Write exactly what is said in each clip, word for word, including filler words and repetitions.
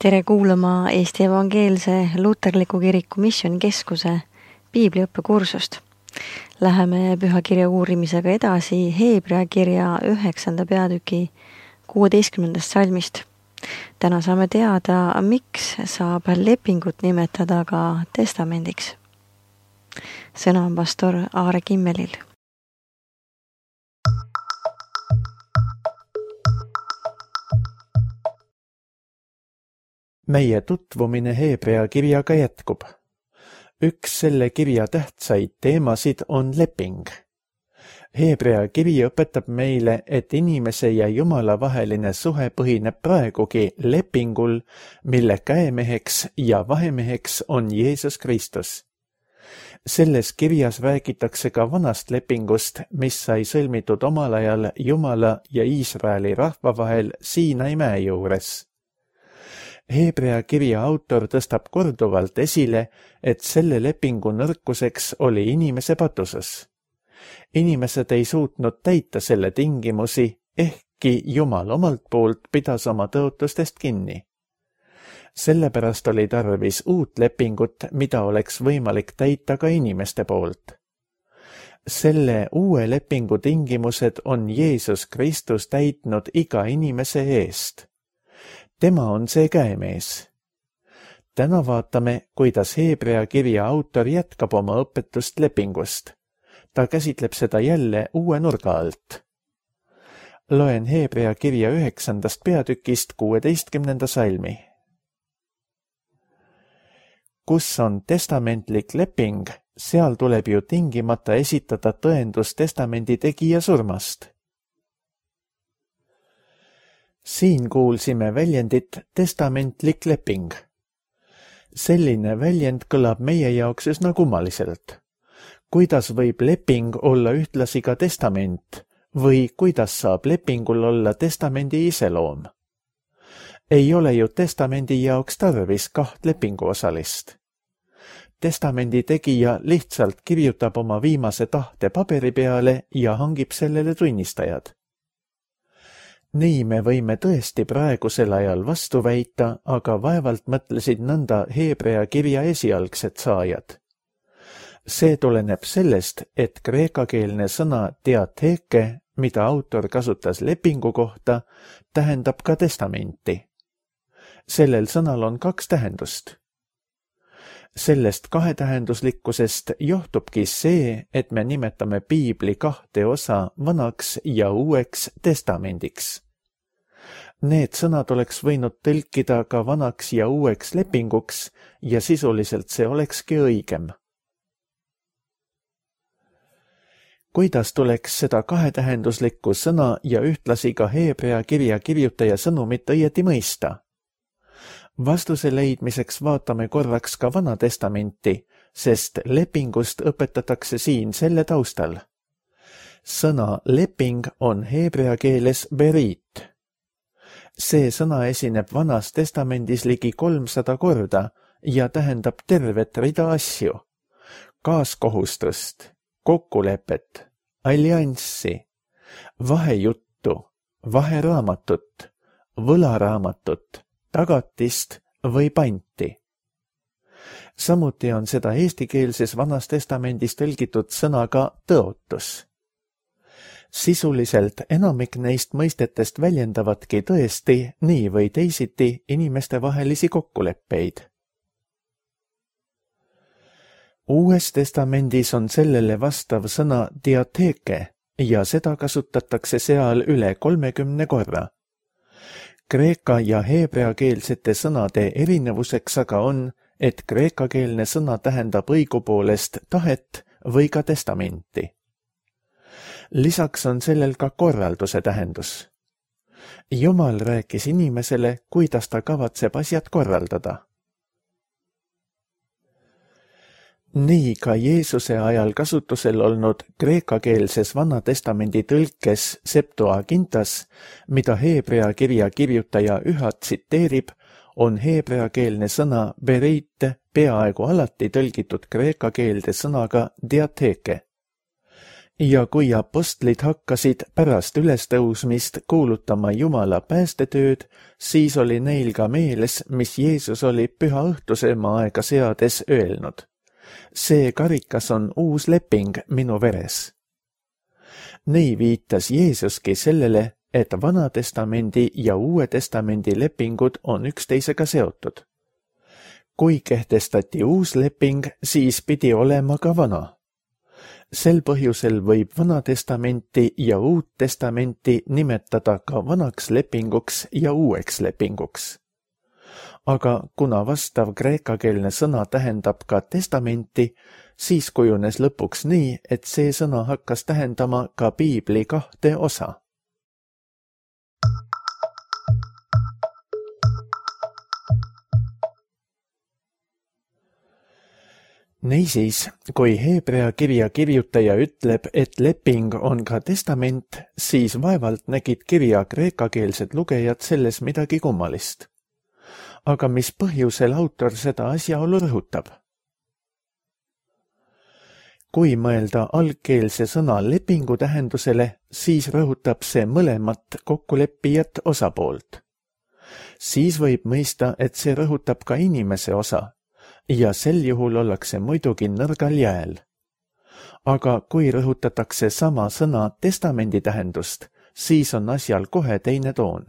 Tere kuulama Eesti Evangeelse Luterliku Kiriku Missioonikeskuse piibliõppekursust. Läheme pühakirja uurimisega edasi Heebrea kirja üheksanda peatüki kuueteistkümnendast salmist. Täna saame teada, miks saab lepingut nimetada ka testamendiks. Sõna on pastor Aare Kimmelil. Meie tutvumine Heebrea kirjaga jätkub. Üks selle kirja tähtsaid teemasid on leping. Heebrea kiri õpetab meile, et inimese ja Jumala vaheline suhe põhineb praegugi lepingul, mille käemeheks ja vahemeheks on Jeesus Kristus. Selles kirjas räägitakse ka vanast lepingust, mis sai sõlmitud omal ajal Jumala ja Iisraeli rahva vahel Siinai mäe juures. Heebrea kirja autor tõstab korduvalt esile, et selle lepingu nõrkuseks oli inimese patuses. Inimesed ei suutnud täita selle tingimusi, ehkki Jumal omalt poolt pidas oma tõotustest kinni. Sellepärast oli tarvis uut lepingut, mida oleks võimalik täita ka inimeste poolt. Selle uue lepingu tingimused on Jeesus Kristus täitnud iga inimese eest. Tema on see käemees. Täna vaatame, kuidas Heebrea kirja autor jätkab oma õpetust lepingust. Ta käsitleb seda jälle uue nurga alt. Loen Heebrea kirja üheksandast peatükist kuueteistkümnenda salmi. Kus on testamentlik leping, seal tuleb ju tingimata esitada tõendus testamendi tegija surmast. Siin kuulsime väljendit testamentlik leping. Selline väljend kõlab meie jaoks üsna kummaliselt. Kuidas võib leping olla ühtlasi ka testament või kuidas saab lepingul olla testamendi iseloom? Ei ole ju testamendi jaoks tarvis kaht lepinguosalist. Testamendi tegija lihtsalt kirjutab oma viimase tahte paberi peale ja hangib sellele tunnistajad. Nii me võime tõesti praegusel ajal vastu väita, aga vaevalt mõtlesid nõnda Heebrea kirja esialgsed saajad. See tuleneb sellest, et kreekakeelne sõna diatheke, mida autor kasutas lepingu kohta, tähendab ka testamenti. Sellel sõnal on kaks tähendust. Sellest kahetähenduslikkusest johtubki see, et me nimetame piibli kahte osa vanaks ja uueks testamendiks. Need sõnad oleks võinud tõlkida ka vanaks ja uueks lepinguks ja sisuliselt see olekski õigem. Kuidas tuleks seda kahetähenduslikku sõna ja ühtlasi ka Heebrea kirja kirjutaja sõnumit õieti mõista? Vastuse leidmiseks vaatame korraks ka Vana Testamenti, sest lepingust õpetatakse siin selle taustal. Sõna leping on heebrea keeles berit. See sõna esineb Vanas Testamendis ligi kolmsada korda ja tähendab tervet rida asju. Kaaskohustust, kokkulepet, allianssi, vahejuttu, vaheraamatut, võlaraamatut, tagatist või panti. Samuti on seda eestikeelses Vanas Testamendis tõlgitud sõnaga tõotus. Sisuliselt enamik neist mõistetest väljendavadki tõesti nii või teisiti inimeste vahelisi kokkuleppeid. Uues testamendis on sellele vastav sõna diatheke ja seda kasutatakse seal üle kolmekümne korra. Kreeka ja heebrea keelsete sõnade erinevuseks aga on, et kreekakeelne sõna tähendab õigupoolest tahet või ka testamenti. Lisaks on sellel ka korralduse tähendus. Jumal rääkis inimesele, kuidas ta kavatseb asjad korraldada. Nii ka Jeesuse ajal kasutusel olnud kreekakeelses Vana Testamendi tõlkes Septuagintas, mida Heebrea kirja kirjutaja üha tsiteerib, on heebreakeelne sõna bereit peaaegu alati tõlgitud kreeka keelde sõnaga diatheke. Ja kui apostlid hakkasid pärast ülestõusmist kuulutama Jumala päästetööd, siis oli neil ka meeles, mis Jeesus oli püha õhtusööma aega seades öelnud. See karikas on uus leping minu veres. Nii viitas Jeesuski sellele, et Vana Testamendi ja Uue Testamendi lepingud on üksteisega seotud. Kui kehtestati uus leping, siis pidi olema ka vana. Sel põhjusel võib Vana Testamenti ja Uut Testamenti nimetada ka vanaks lepinguks ja uueks lepinguks. Aga kuna vastav kreekakeelne sõna tähendab ka testamenti, siis kujunes lõpuks nii, et see sõna hakkas tähendama ka piibli kahte osa. Niisiis, kui Heebrea kirja kirjutaja ütleb, et leping on ka testament, siis vaevalt nägid kirja kreekakeelsed lugejad selles midagi kummalist. Aga mis põhjusel autor seda asjaolu rõhutab? Kui mõelda algkeelse sõna lepingu tähendusele, siis rõhutab see mõlemat kokkuleppijat osapoolt. Siis võib mõista, et see rõhutab ka inimese osa, ja sel juhul ollakse muidugi nõrgal jääl. Aga kui rõhutatakse sama sõna testamendi tähendust, siis on asjal kohe teine toon.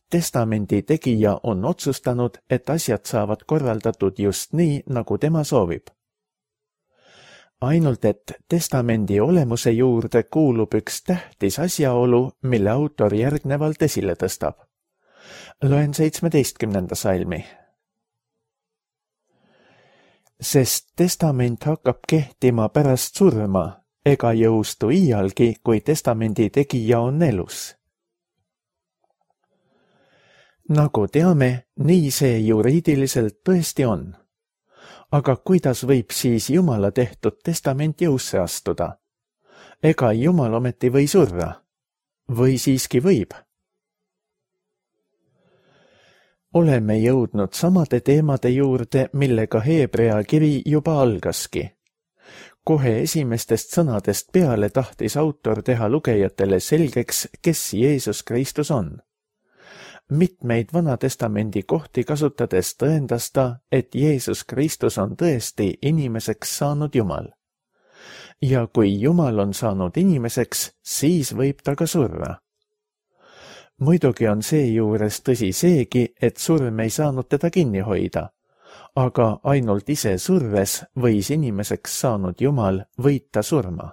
Testamendi tegija on otsustanud, et asjad saavad korraldatud just nii, nagu tema soovib. Ainult et testamendi olemuse juurde kuulub üks tähtis asjaolu, mille autor järgnevalt esile tõstab. Loen seitsmeteistkümnenda salmi. Sest testament hakkab kehtima pärast surma, ega jõustu iialgi, kui testamendi tegija on elus. Nagu teame, nii see juriidiliselt tõesti on. Aga kuidas võib siis Jumala tehtud testament jõusse astuda? Ega Jumal ometi või surra? Või siiski võib? Oleme jõudnud samade teemade juurde, millega Heebrea kiri juba algaski. Kohe esimestest sõnadest peale tahtis autor teha lugejatele selgeks, kes Jeesus Kristus on. Mitmeid Vana Testamendi kohti kasutades tõendas ta, et Jeesus Kristus on tõesti inimeseks saanud Jumal. Ja kui Jumal on saanud inimeseks, siis võib ta ka surra. Muidugi on seejuures tõsi seegi, et surm ei saanud teda kinni hoida, aga ainult ise surres võis inimeseks saanud Jumal võita surma.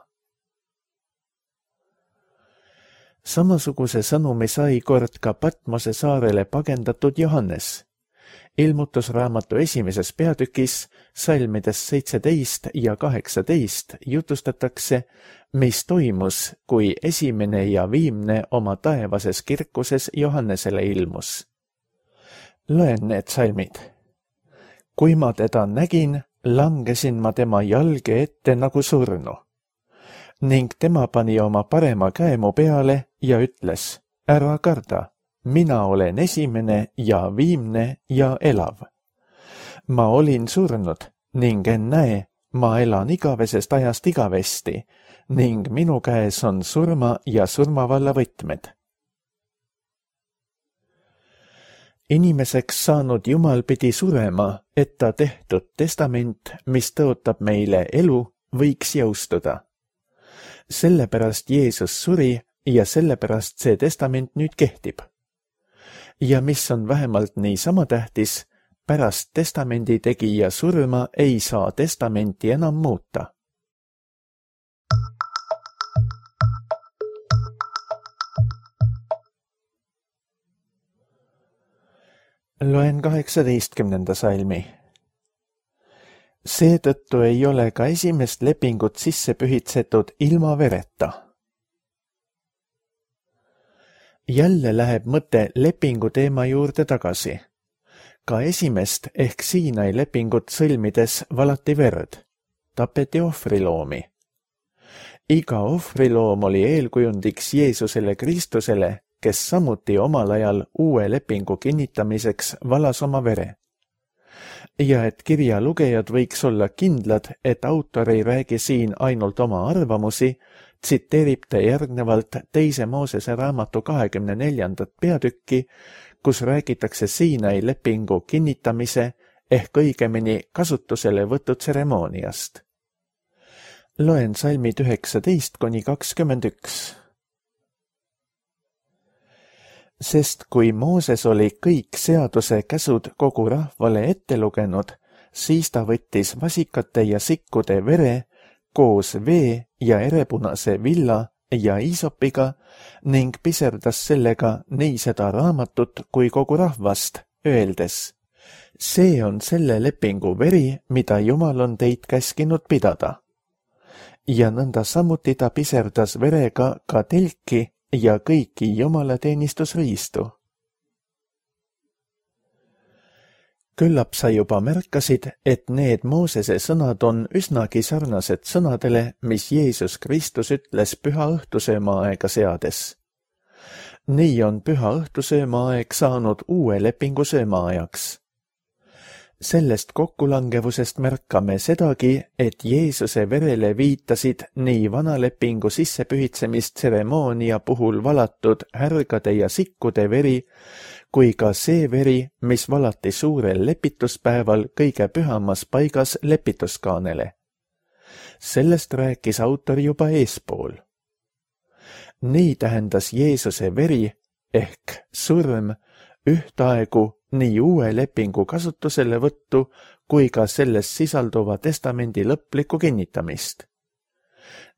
Samasuguse sõnumi sai kord ka Patmose saarele pagendatud Johannes. Ilmutusraamatu esimeses peatükis, salmides seitseteist ja kaheksateist jutustatakse, mis toimus, kui esimene ja viimne oma taevases kirkuses Johannesele ilmus. Loen need salmid. Kui ma teda nägin, langesin ma tema jalge ette nagu surnu. Ning tema pani oma parema käe mu peale ja ütles, ära karda, mina olen esimene ja viimne ja elav. Ma olin surnud ning ennäe, ma elan igavesest ajast igavesti ning minu käes on surma ja surmavalla võtmed. Inimeseks saanud Jumal pidi surema, et ta tehtud testament, mis tõotab meile elu, võiks jõustuda. Sellepärast Jeesus suri ja sellepärast see testament nüüd kehtib. Ja mis on vähemalt niisama tähtis, pärast testamendi tegija surma ei saa testamenti enam muuta. Loen kaheksateistkümnenda salmi. Seetõttu ei ole ka esimest lepingut sisse pühitsetud ilma vereta. Jälle läheb mõte lepingu teema juurde tagasi. Ka esimest ehk Siinai lepingut sõlmides valati verd, tapeti ohvriloomi. Iga ohvriloom oli eelkujundiks Jeesusele Kristusele, kes samuti omal ajal uue lepingu kinnitamiseks valas oma vere. Ja et kirja lugejad võiks olla kindlad, et autor ei räägi siin ainult oma arvamusi, tsiteerib ta järgnevalt teise Moosese raamatu kahekümne neljandat peatükki, kus räägitakse Siinai lepingu kinnitamise ehk õigemini kasutusele võtu tseremooniast. Loen salmid üheksateist kuni kakskümmend üks. Sest kui Mooses oli kõik seaduse käsud kogu rahvale ette lugenud, siis ta võttis vasikate ja sikkude vere koos vee ja erepunase villa ja iisopiga ning piserdas sellega nii seda raamatut kui kogu rahvast, öeldes: see on selle lepingu veri, mida Jumal on teid käskinud pidada. Ja nõnda samuti ta piserdas verega ka telki ja kõiki Jumala teenistusriistu. Küllap sa juba märkasid, et need Moosese sõnad on üsnagi sarnased sõnadele, mis Jeesus Kristus ütles püha õhtusööma aega seades. Nii on püha õhtusööma aeg saanud uue lepingu söömaajaks. Sellest kokkulangevusest märkame sedagi, et Jeesuse verele viitasid nii vanalepingu sissepühitsemist tseremoonia puhul valatud härgade ja sikkude veri, kui ka see veri, mis valati suurel lepituspäeval kõige pühamas paigas lepituskaanele. Sellest rääkis autor juba eespool. Nii tähendas Jeesuse veri ehk surm ühtaegu nii uue lepingu kasutusele võttu kui ka selles sisalduva testamendi lõplikku kinnitamist.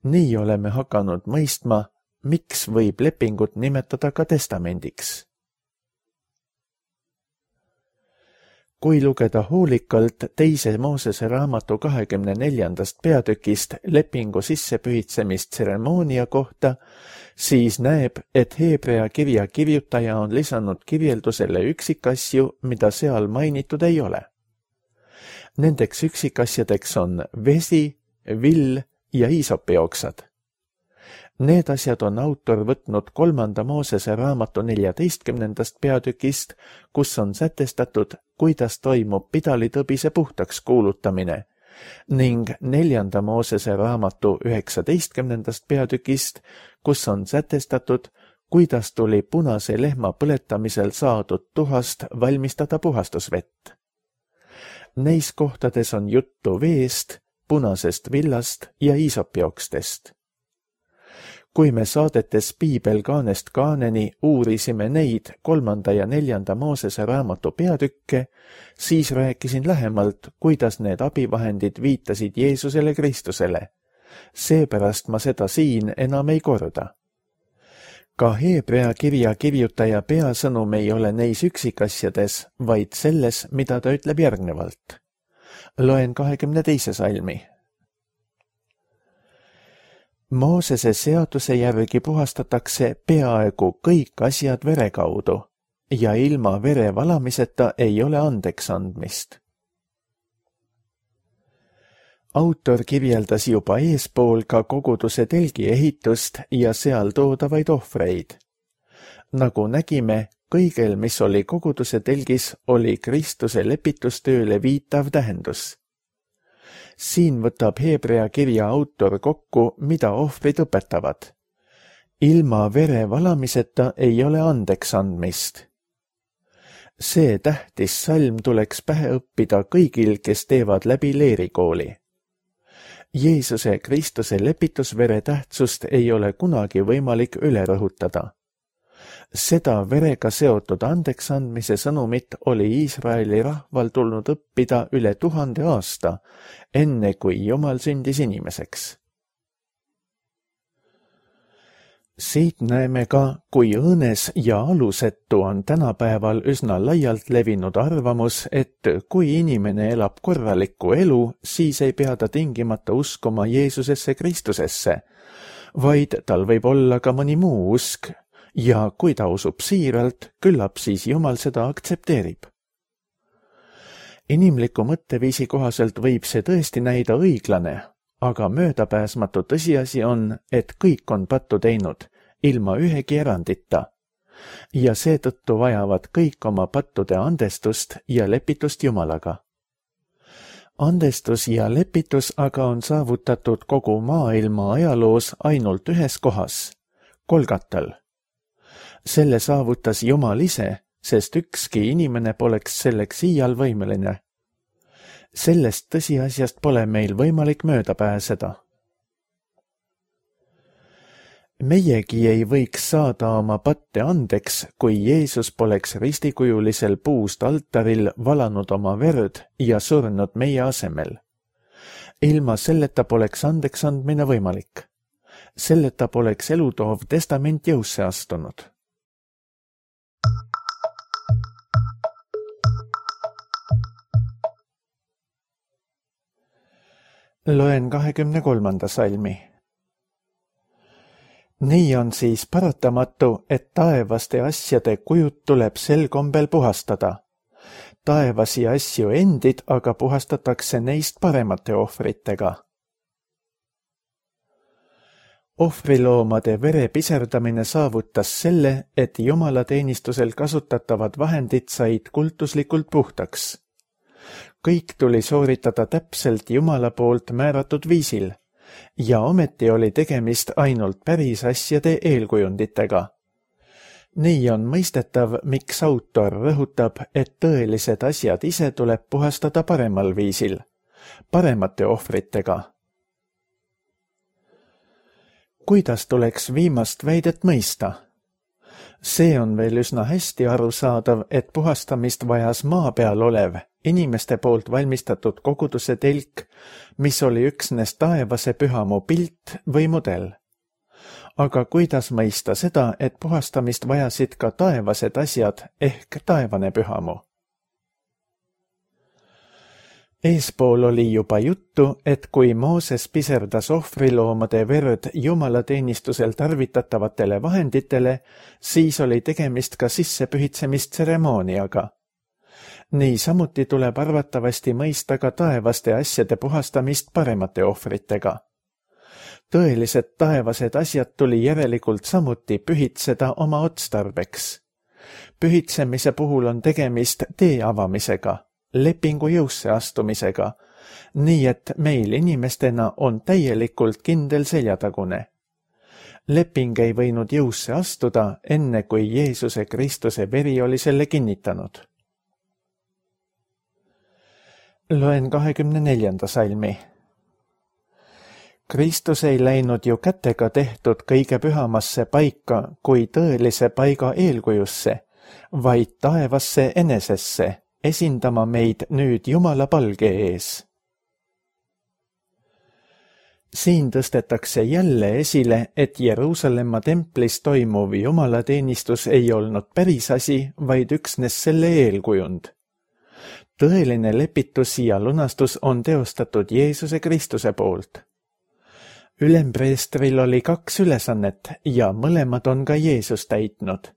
Nii oleme hakanud mõistma, miks võib lepingut nimetada ka testamendiks. Kui lugeda hoolikalt teise Moosese raamatu kahekümne neljandast peatükist lepingu sissepühitsemist tseremoonia kohta, siis näeb, et Heebrea kirja kirjutaja on lisanud kirjeldusele üksikasju, mida seal mainitud ei ole. Nendeks üksikasjadeks on vesi, vill ja iisopioksad. Need asjad on autor võtnud kolmanda Moosese raamatu neljateistkümnendast peatükist, kus on sätestatud, kuidas toimub pidalitõbise puhtaks kuulutamine, ning neljanda Moosese raamatu üheksateistkümnendast peatükist, kus on sätestatud, kuidas tuli punase lehma põletamisel saadud tuhast valmistada puhastusvett. Neis kohtades on juttu veest, punasest villast ja iisopiokstest. Kui me saadetes Piibel kaanest kaaneni uurisime neid kolmanda ja neljanda Moosese raamatu peatükke, siis rääkisin lähemalt, kuidas need abivahendid viitasid Jeesusele Kristusele. Seepärast ma seda siin enam ei korda. Ka Heebrea kirja kirjutaja peasõnum ei ole neis üksikasjades, vaid selles, mida ta ütleb järgnevalt. Loen kahekümne teise salmi. Moosese seaduse järgi puhastatakse peaaegu kõik asjad vere kaudu ja ilma vere valamiseta ei ole andeks andmist. Autor kirjeldas juba eespool ka koguduse telgi ehitust ja seal toodavaid ohvreid. Nagu nägime, kõigel, mis oli koguduse telgis, oli Kristuse lepitustööle viitav tähendus. Siin võtab Heebrea kirja autor kokku, mida ohvrid õpetavad. Ilma vere valamiseta ei ole andeks andmist. See tähtis salm tuleks pähe õppida kõigil, kes teevad läbi leerikooli. Jeesuse Kristuse lepitusvere tähtsust ei ole kunagi võimalik üle rõhutada. Seda verega seotud andeks andmise sõnumit oli Iisraeli rahval tulnud õppida üle tuhande aasta, enne kui Jumal sündis inimeseks. Siit näeme ka, kui õõnes ja alusetu on tänapäeval üsna laialt levinud arvamus, et kui inimene elab korralikku elu, siis ei pea ta tingimata uskuma Jeesusesse Kristusesse, vaid tal võib olla ka mõni muu usk, ja kui ta usub siiralt, küllap siis Jumal seda aktsepteerib. Inimliku mõtteviisi kohaselt võib see tõesti näida õiglane, aga möödapääsmatu tõsiasi on, et kõik on pattu teinud, ilma ühegi erandita, ja seetõttu vajavad kõik oma pattude andestust ja lepitust Jumalaga. andestus ja lepitus aga on saavutatud kogu maailma ajaloos ainult ühes kohas, Golgatal. Selle saavutas Jumal ise, sest ükski inimene poleks selleks iial võimeline. Sellest tõsiasjast pole meil võimalik mööda pääseda. Meiegi ei võiks saada oma patte andeks, kui Jeesus poleks ristikujulisel puust altaril valanud oma verd ja surnud meie asemel. Ilma selleta poleks andeks andmine võimalik. Selleta poleks elutoov testament jõusse astunud. Loen kahekümne kolmanda salmi. Nii on siis paratamatu, et taevaste asjade kujud tuleb sel kombel puhastada. Taevasi asju endid aga puhastatakse neist paremate ohvritega. Ohvriloomade vere piserdamine saavutas selle, et jumalateenistusel kasutatavad vahendid said kultuslikult puhtaks. Kõik tuli sooritada täpselt Jumala poolt määratud viisil ja ometi oli tegemist ainult päris asjade eelkujunditega. Nii on mõistetav, miks autor rõhutab, et tõelised asjad ise tuleb puhastada paremal viisil, paremate ohvritega. Kuidas tuleks viimast väidet mõista? See on veel üsna hästi arusaadav, et puhastamist vajas maa peal olev, inimeste poolt valmistatud koguduse telk, mis oli üksnes taevase pühamu pilt või mudel. Aga kuidas mõista seda, et puhastamist vajasid ka taevased asjad ehk taevane pühamu? Eespool oli juba juttu, et kui Mooses piserdas ohvriloomade verd jumalateenistusel tarvitatavatele vahenditele, siis oli tegemist ka sissepühitsemistseremooniaga. Nii samuti tuleb arvatavasti mõista ka taevaste asjade puhastamist paremate ohvritega. Tõelised taevased asjad tuli järelikult samuti pühitseda oma otstarbeks. Pühitsemise puhul on tegemist tee avamisega, lepingu jõusse astumisega, nii et meil inimestena on täielikult kindel seljatagune. Leping ei võinud jõusse astuda, enne kui Jeesuse Kristuse veri oli selle kinnitanud. Loen kahekümne neljanda salmi. Kristus ei läinud ju kätega tehtud kõige pühamasse paika kui tõelise paiga eelkujusse, vaid taevasse enesesse, esindama meid nüüd Jumala palge ees. Siin tõstetakse jälle esile, et Jeruusalemma templis toimuv jumalateenistus ei olnud päris asi, vaid üksnes selle eelkujund. Tõeline lepitus ja lunastus on teostatud Jeesuse Kristuse poolt. Ülempreestril oli kaks ülesannet ja mõlemad on ka Jeesus täitnud.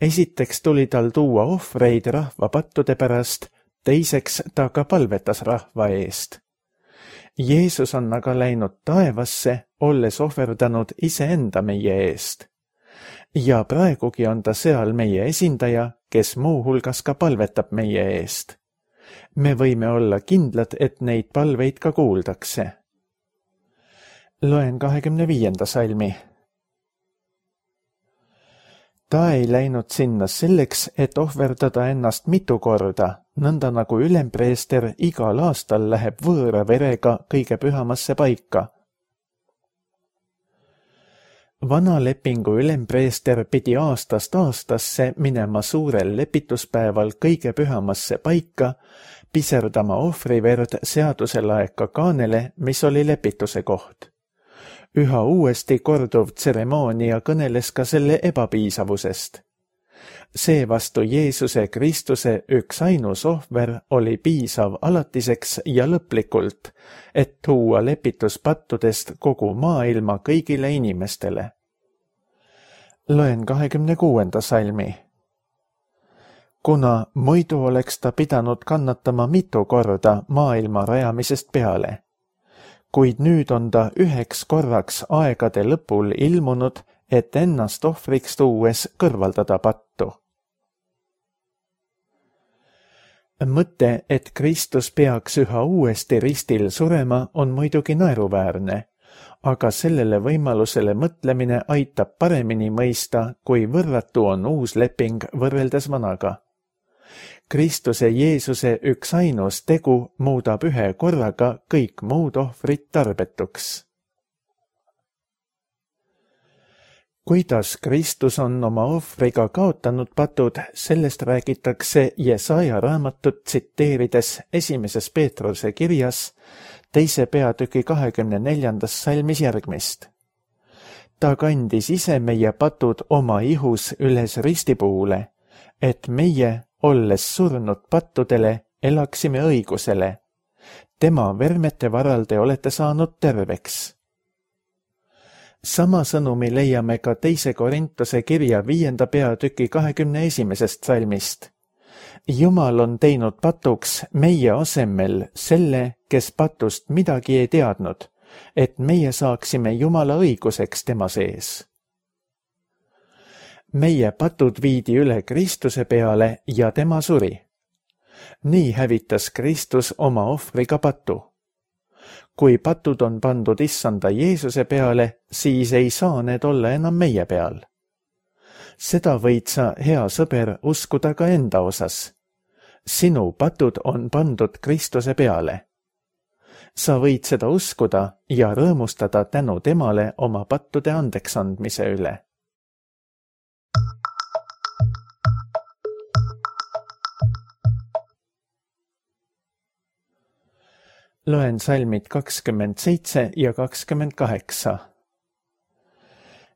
Esiteks tuli tal tuua ohvreid rahva pattude pärast, teiseks ta ka palvetas rahva eest. Jeesus on aga läinud taevasse, olles ohverdanud iseenda meie eest. Ja praegugi on ta seal meie esindaja, kes muu hulgas ka palvetab meie eest. Me võime olla kindlad, et neid palveid ka kuuldakse. Loen kahekümne viienda salmi. Ta ei läinud sinna selleks, et ohverdada ennast mitu korda, nõnda nagu ülempreester igal aastal läheb võõra verega kõige pühamasse paika. Vana lepingu ülempreester pidi aastast aastasse minema suurel lepituspäeval kõige pühamasse paika, piserdama ohvriverd seaduselaeka kaanele, mis oli lepituse koht. Üha uuesti korduv tseremoonia kõneles ka selle ebapiisavusest. Seevastu Jeesuse Kristuse üks ainus ohver oli piisav alatiseks ja lõplikult, et tuua lepitus pattudest kogu maailma kõigile inimestele. Loen kahekümne kuuenda salmi. Kuna muidu oleks ta pidanud kannatama mitu korda maailma rajamisest peale, kuid nüüd on ta üheks korraks aegade lõpul ilmunud, et ennast ohvriks tuues kõrvaldada pattu. Mõte, et Kristus peaks üha uuesti ristil surema, on muidugi naeruväärne, aga sellele võimalusele mõtlemine aitab paremini mõista, kui võrratu on uus leping võrreldes vanaga. Kristuse Jeesuse üks ainus tegu muudab ühe korraga kõik muud ohvrid tarbetuks. Kuidas Kristus on oma ohvriga kaotanud patud, sellest räägitakse Jesaja raamatut tsiteerides esimeses Peetruse kirjas teise peatüki kahekümne neljandas salmis järgmist. Ta kandis ise meie patud oma ihus üles ristipuule, et meie, olles surnud pattudele, elaksime õigusele. Tema vermete varal te olete saanud terveks. Sama sõnumi leiame ka teise Korintuse kirja viienda peatüki kahekümne esimesest salmist. Jumal on teinud patuks meie asemel selle, kes patust midagi ei teadnud, et meie saaksime Jumala õiguseks tema sees. Meie patud viidi üle Kristuse peale ja tema suri. Nii hävitas Kristus oma ohvriga patu. Kui patud on pandud issanda Jeesuse peale, siis ei saa need olla enam meie peal. Seda võid sa, hea sõber, uskuda ka enda osas. Sinu patud on pandud Kristuse peale. Sa võid seda uskuda ja rõõmustada tänu temale oma pattude andeks andmise üle. Loen salmid kakskümmend seitse ja kakskümmend kaheksa.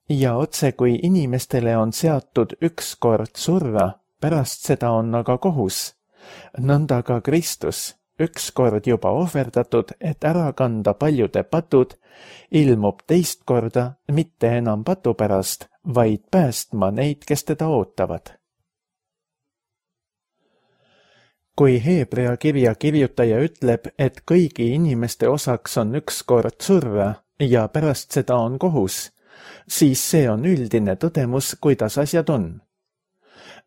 Ja otse kui inimestele on seatud üks kord surra, pärast seda on aga kohus, nõnda ka Kristus, üks kord juba ohverdatud, et ära kanda paljude patud, ilmub teist korda mitte enam patu pärast, vaid päästma neid, kes teda ootavad. Kui Heebrea kirja kirjutaja ütleb, et kõigi inimeste osaks on üks kord surra ja pärast seda on kohus, siis see on üldine tõdemus, kuidas asjad on.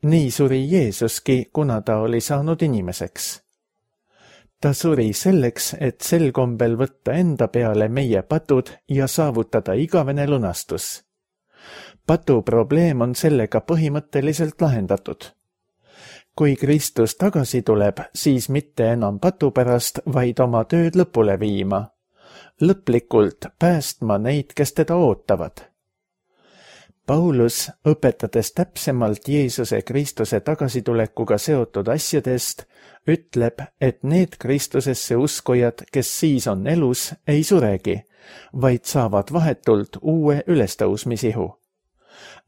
Nii suri Jeesuski, kuna ta oli saanud inimeseks. Ta suri selleks, et sel kombel võtta enda peale meie patud ja saavutada igavene lunastus. Patu probleem on sellega põhimõtteliselt lahendatud. Kui Kristus tagasi tuleb, siis mitte enam patu pärast, vaid oma tööd lõpule viima. Lõplikult päästma neid, kes teda ootavad. Paulus, õpetades täpsemalt Jeesuse Kristuse tagasitulekuga seotud asjadest, ütleb, et need Kristusesse uskujad, kes siis on elus, ei suregi, vaid saavad vahetult uue ülestõusmisihu.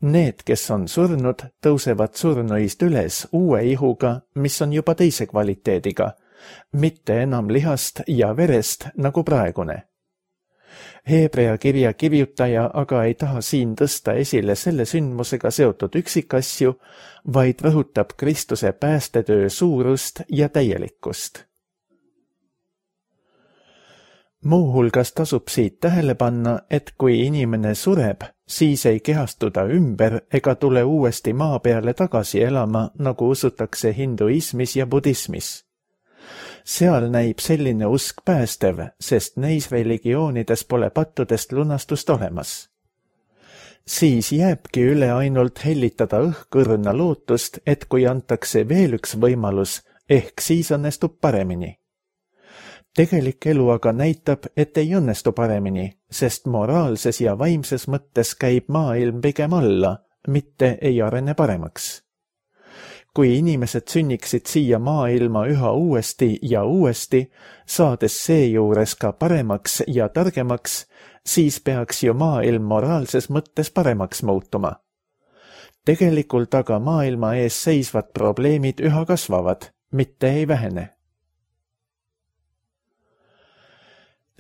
Need, kes on surnud, tõusevad surnuist üles uue ihuga, mis on juba teise kvaliteediga, mitte enam lihast ja verest nagu praegune. Heebrea kirja kirjutaja aga ei taha siin tõsta esile selle sündmusega seotud üksikasju, vaid rõhutab Kristuse päästetöö suurust ja täielikkust. Muuhulgas tasub siit tähele panna, et kui inimene sureb, siis ei kehastu ta ümber ega tule uuesti maa peale tagasi elama, nagu usutakse hinduismis ja budismis. Seal näib selline usk päästev, sest neis religioonides pole pattudest lunastust olemas. Siis jääbki üle ainult hellitada õhkõrna lootust, et kui antakse veel üks võimalus, ehk siis õnnestub paremini. Tegelik elu aga näitab, et ei õnnestu paremini, sest moraalses ja vaimses mõttes käib maailm pigem alla, mitte ei arene paremaks. Kui inimesed sünniksid siia maailma üha uuesti ja uuesti, saades seejuures ka paremaks ja targemaks, siis peaks ju maailm moraalses mõttes paremaks muutuma. Tegelikult aga maailma ees seisvad probleemid üha kasvavad, mitte ei vähene.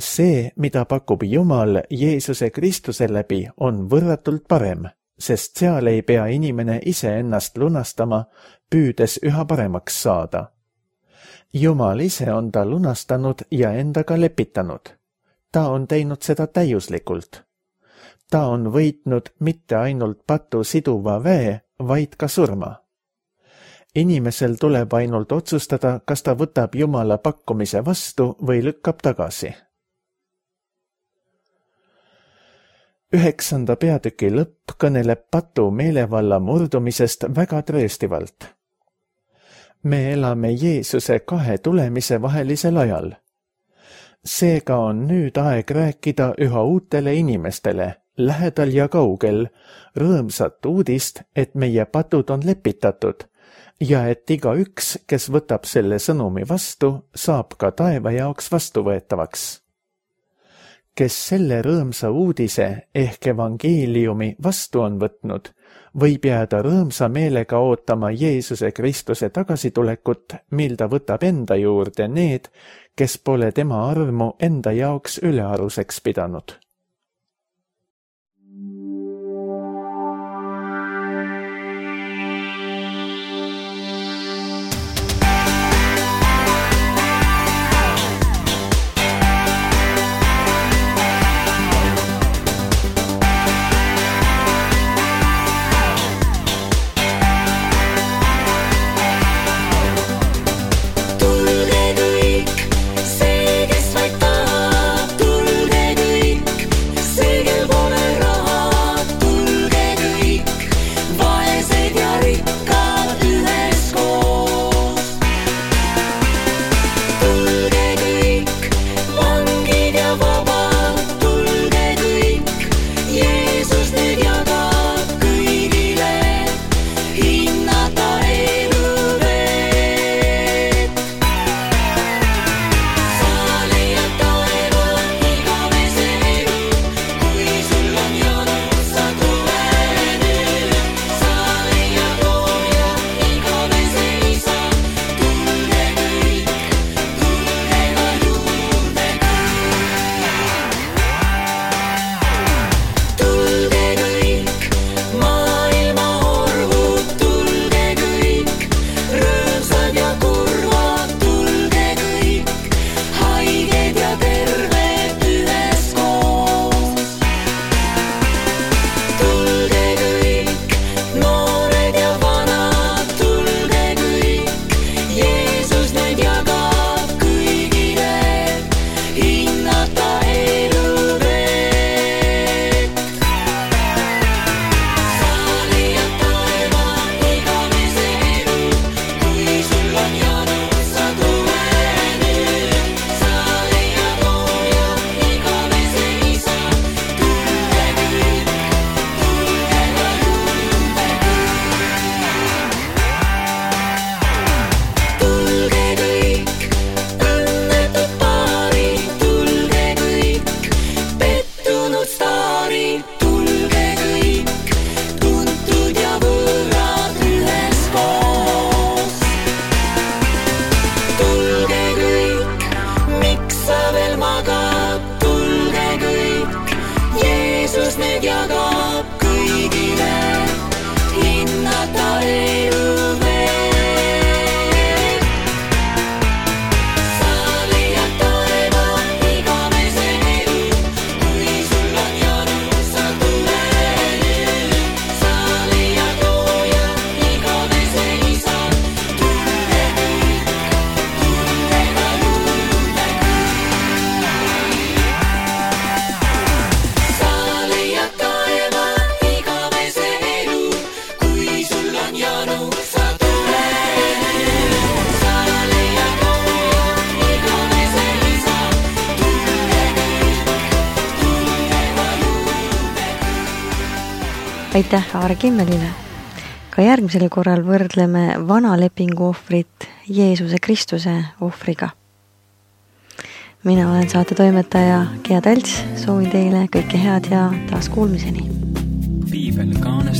See, mida pakub Jumal Jeesuse Kristuse läbi, on võrratult parem, sest seal ei pea inimene ise ennast lunastama, püüdes üha paremaks saada. Jumal ise on ta lunastanud ja endaga lepitanud. Ta on teinud seda täiuslikult. Ta on võitnud mitte ainult patu siduva väe, vaid ka surma. inimesel tuleb ainult otsustada, kas ta võtab Jumala pakkumise vastu või lükkab tagasi. Üheksanda peatüki lõpp kõneleb patu meelevalla murdumisest väga trööstivalt. Me elame Jeesuse kahe tulemise vahelisel ajal. Seega on nüüd aeg rääkida üha uutele inimestele, lähedal ja kaugel, rõõmsat uudist, et meie patud on lepitatud ja et igaüks, kes võtab selle sõnumi vastu, saab ka taeva jaoks vastuvõetavaks. Kes selle rõõmsa uudise ehk evangeeliumi vastu on võtnud, võib jääda rõõmsa meelega ootama Jeesuse Kristuse tagasitulekut, mil ta võtab enda juurde need, kes pole tema armu enda jaoks ülearuseks pidanud. Aitäh Aare Kimmelile. Ka järgmisel korral võrdleme vana lepingu ohvrit Jeesuse Kristuse ohvriga. Mina olen saate toimetaja Gea Talts, soovin teile kõike head ja taas kuulmiseni. Piibel kaane